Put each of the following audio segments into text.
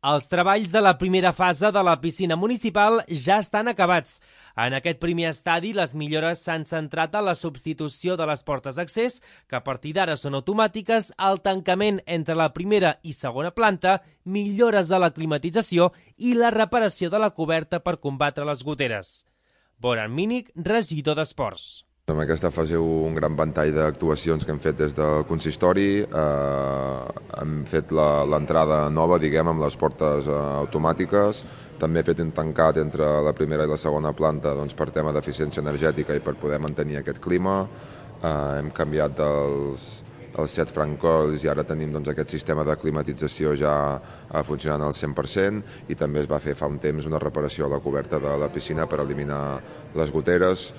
Els treballs de la primera fase de la piscina municipal ja estan acabats. En aquest primer estadi, les millores s'han centrat en la substitució de les portes d'accés, que a partir d'ara són automàtiques, el tancament entre la primera i segona planta, millores de la climatització i la reparació de la coberta per combatre les goteres. Boran Mínic, regidor d'Esports. En aquesta fase un gran ventall d'actuacions que hem fet des del consistori. Hem fet l'entrada nova, diguem, amb les portes automàtiques. També he fet un tancat entre la primera i la segona planta per tema d'eficiència energètica i per poder mantenir aquest clima. Hem canviat els 7 francolls i ara tenim aquest sistema de climatització ja funcionant al 100% i també es va fer fa un temps una reparació a la coberta de la piscina per eliminar les goteres.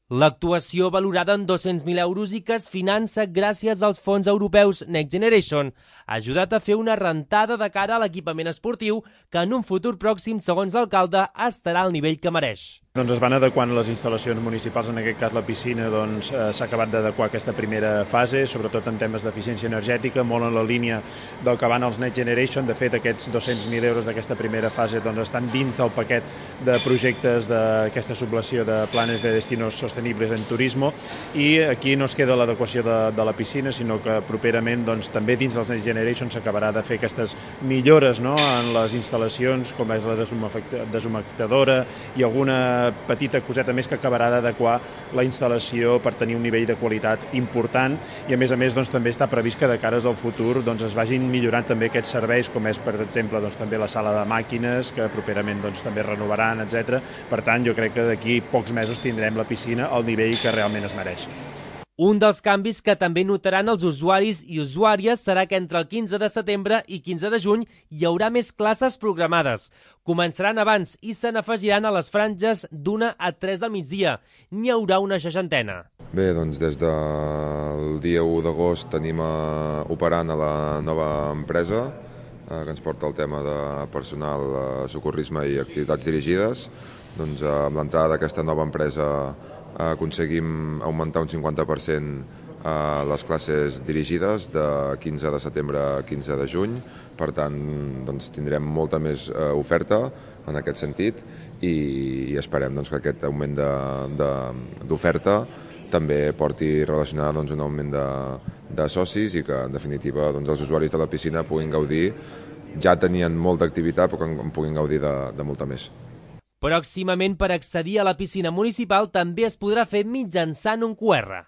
L'actuació, valorada en 200.000 euros i que es finança gràcies als fons europeus Next Generation, ha ajudat a fer una rentada de cara a l'equipament esportiu que en un futur pròxim, segons l'alcalde, estarà al nivell que mereix. Es van adequant les instal·lacions municipals, en aquest cas la piscina, s'ha acabat d'adequar aquesta primera fase, sobretot en temes d'eficiència energètica, molt en la línia del que van els Next Generation. De fet, aquests 200.000 euros d'aquesta primera fase estan dins del paquet de projectes d'aquesta subvenció de planes de destinos sostenibles en turisme, i aquí no es queda l'adequació de la piscina, sinó que properament també dins dels Next Generation s'acabarà de fer aquestes millores en les instal·lacions, com és la deshumectadora i alguna petita coseta més que acabarà d'adequar la instal·lació per tenir un nivell de qualitat important, i a més també està previst que de cares al futur es vagin millorant també aquests serveis, com és per exemple també la sala de màquines, que properament també renovaran, etc. Per tant, jo crec que d'aquí pocs mesos tindrem la piscina al nivell que realment es mereix. Un dels canvis que també notaran els usuaris i usuàries serà que entre el 15 de setembre i 15 de juny hi haurà més classes programades. Començaran abans i se n'afegiran a les franges d'1 a 3 del migdia. N'hi haurà una 60. Bé, des del dia 1 d'agost tenim operant a la nova empresa que ens porta el tema de personal, socorrisme i activitats dirigides. Amb l'entrada d'aquesta nova empresa aconseguim augmentar un 50% les classes dirigides de 15 de setembre a 15 de juny. Per tant, tindrem molta més oferta en aquest sentit i esperem que aquest augment d'oferta també porti relacionada un augment de socis i que, en definitiva, els usuaris de la piscina puguin gaudir. Ja tenien molta activitat, però que en puguin gaudir de molta més. Pròximament, per accedir a la piscina municipal també es podrà fer mitjançant un QR.